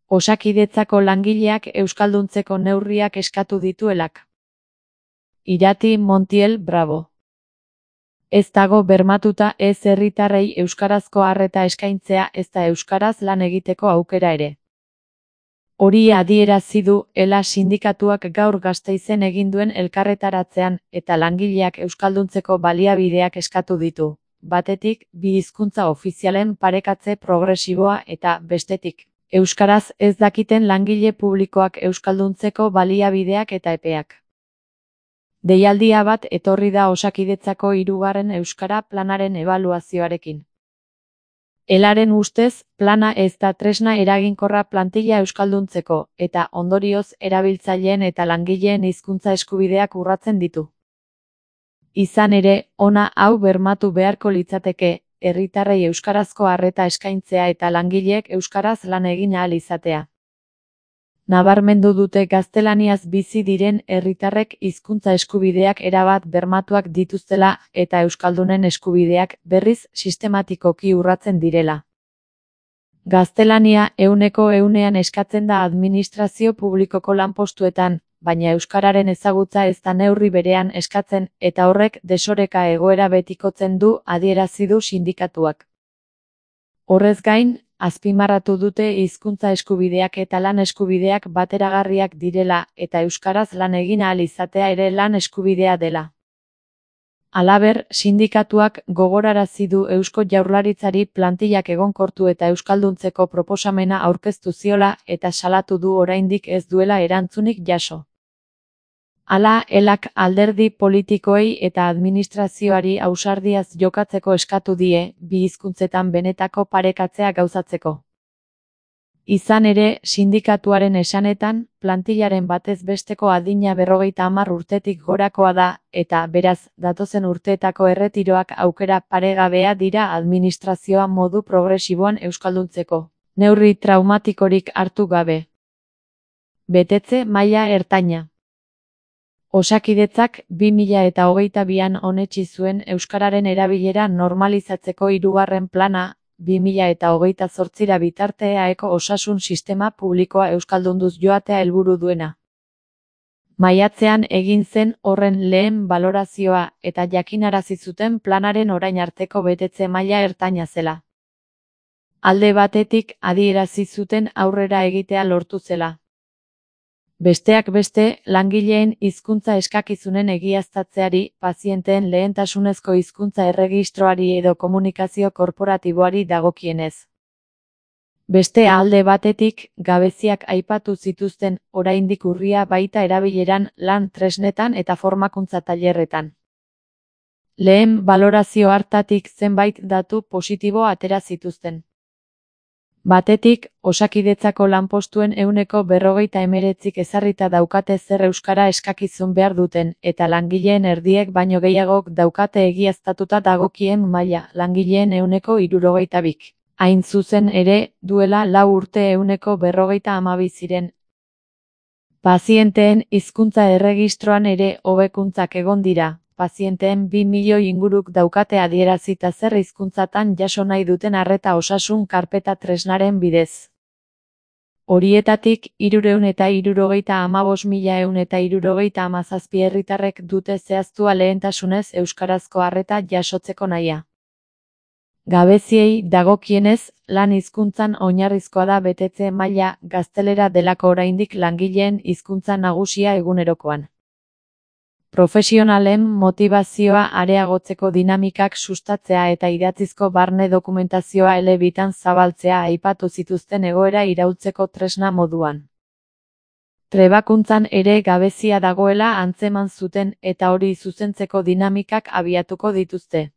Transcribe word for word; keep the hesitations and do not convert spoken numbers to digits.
Osakidetzako langileak euskalduntzeko neurriak eskatu dituelak. Irati Montiel Bravo. Ez dago bermatuta ez herritarrei euskarazko arreta eskaintzea ezta euskaraz lan egiteko aukera ere. Hori adierazi du ELA sindikatuak gaur Gasteizen egin duen elkarretaratzean eta langileak euskalduntzeko baliabideak eskatu ditu. Batetik, bi hizkuntza ofizialen parekatze progresiboa eta, bestetik, euskaraz ez dakiten langile publikoak euskalduntzeko baliabideak eta epeak. Deialdia bat etorri da Osakidetzako hirugarren euskara planaren ebaluazioarekin. ELAren ustez, plana ez da tresna eraginkorra plantilla euskalduntzeko, eta ondorioz erabiltzaileen eta langileen hizkuntza eskubideak urratzen ditu. Izan ere, ona hau bermatu beharko litzateke, herritarrei euskarazko arreta eskaintzea eta langileek euskaraz lan egin ahal izatea. Nabarmendu dute gaztelaniaz bizi diren herritarrek hizkuntza eskubideak erabat bermatuak dituztela eta euskaldunen eskubideak berriz sistematikoki urratzen direla. Gaztelania ehuneko ehunean eskatzen da administrazio publikoko lanpostuetan, baina euskararen ezagutza ez da neurri berean eskatzen eta horrek desoreka egoera betikotzen du adierazi du sindikatuak. Horrez gain, azpimarratu dute hizkuntza eskubideak eta lan eskubideak bateragarriak direla eta euskaraz lan egin ahal izatea ere lan eskubidea dela. Halaber, sindikatuak gogorarazi du Eusko Jaurlaritzari plantillak egonkortu eta euskalduntzeko proposamena aurkeztu ziola eta salatu du oraindik ez duela erantzunik jaso. Hala, ELAk alderdi politikoei eta administrazioari ausardiaz jokatzeko eskatu die, bi hizkuntzetan benetako parekatzea gauzatzeko. Izan ere, sindikatuaren esanetan, plantillaren batez besteko adina berrogeita hamar urtetik gorakoa da, eta beraz, datozen urteetako erretiroak aukera paregabea dira administrazioa modu progresiboan euskalduntzeko, neurri traumatikorik hartu gabe. Betetze maila ertaina. Osakidetzak bi mila eta hogeita bian onetsi zuen euskararen erabilera normalizatzeko hirugarren plana, bi mila eta hogeita zortzira bitarte eaeko osasun sistema publikoa euskaldunduz joatea helburu duena. Maiatzean egin zen horren lehen balorazioa eta jakinarazi zuten planaren orain arteko betetze maila ertaina zela. Alde batetik adierazi zuten aurrera egitea lortu zela. Besteak beste, langileen hizkuntza eskakizunen egiaztatzeari, pazienteen lehentasunezko hizkuntza erregistroari edo komunikazio korporatiboari dagokienez. Beste alde batetik, gabeziak aipatu zituzten, oraindik urria baita erabileran, lan tresnetan eta formakuntza tailerretan. Lehen balorazio hartatik zenbait datu positibo atera zituzten. Batetik, Osakidetzako lanpostuen ehuneko berrogeita hemeretzik ezarrita daukate zer euskara eskakizun behar duten, eta langileen erdiek baino gehiagok daukate egiaztatuta dagokien maila, langileen ehuneko hirurogeita bik. Hain zuzen ere, duela lau urte ehuneko berrogeita hamabi ziren. Pazienteen hizkuntza erregistroan ere hobekuntzak egon dira. Pazienteen bi milioi inguruk daukate adierazita zer hizkuntzatan jaso nahi duten arreta osasun karpeta tresnaren bidez. Horietatik, hirurehun eta hirurogeita hamabost mila ehun eta hirurogeita hamazazpi herritarrek dute zehaztua lehentasunez euskarazko arreta jasotzeko nahia. Gabeziei dagokienez, lan hizkuntzan oinarrizkoa da betetze maila gaztelera delako oraindik langileen hizkuntza nagusia egunerokoan. Profesionalen motivazioa areagotzeko dinamikak sustatzea eta idatzizko barne dokumentazioa elebitan zabaltzea aipatu zituzten egoera iraultzeko tresna moduan. Trebakuntzan ere gabezia dagoela antzeman zuten eta hori zuzentzeko dinamikak abiatuko dituzte.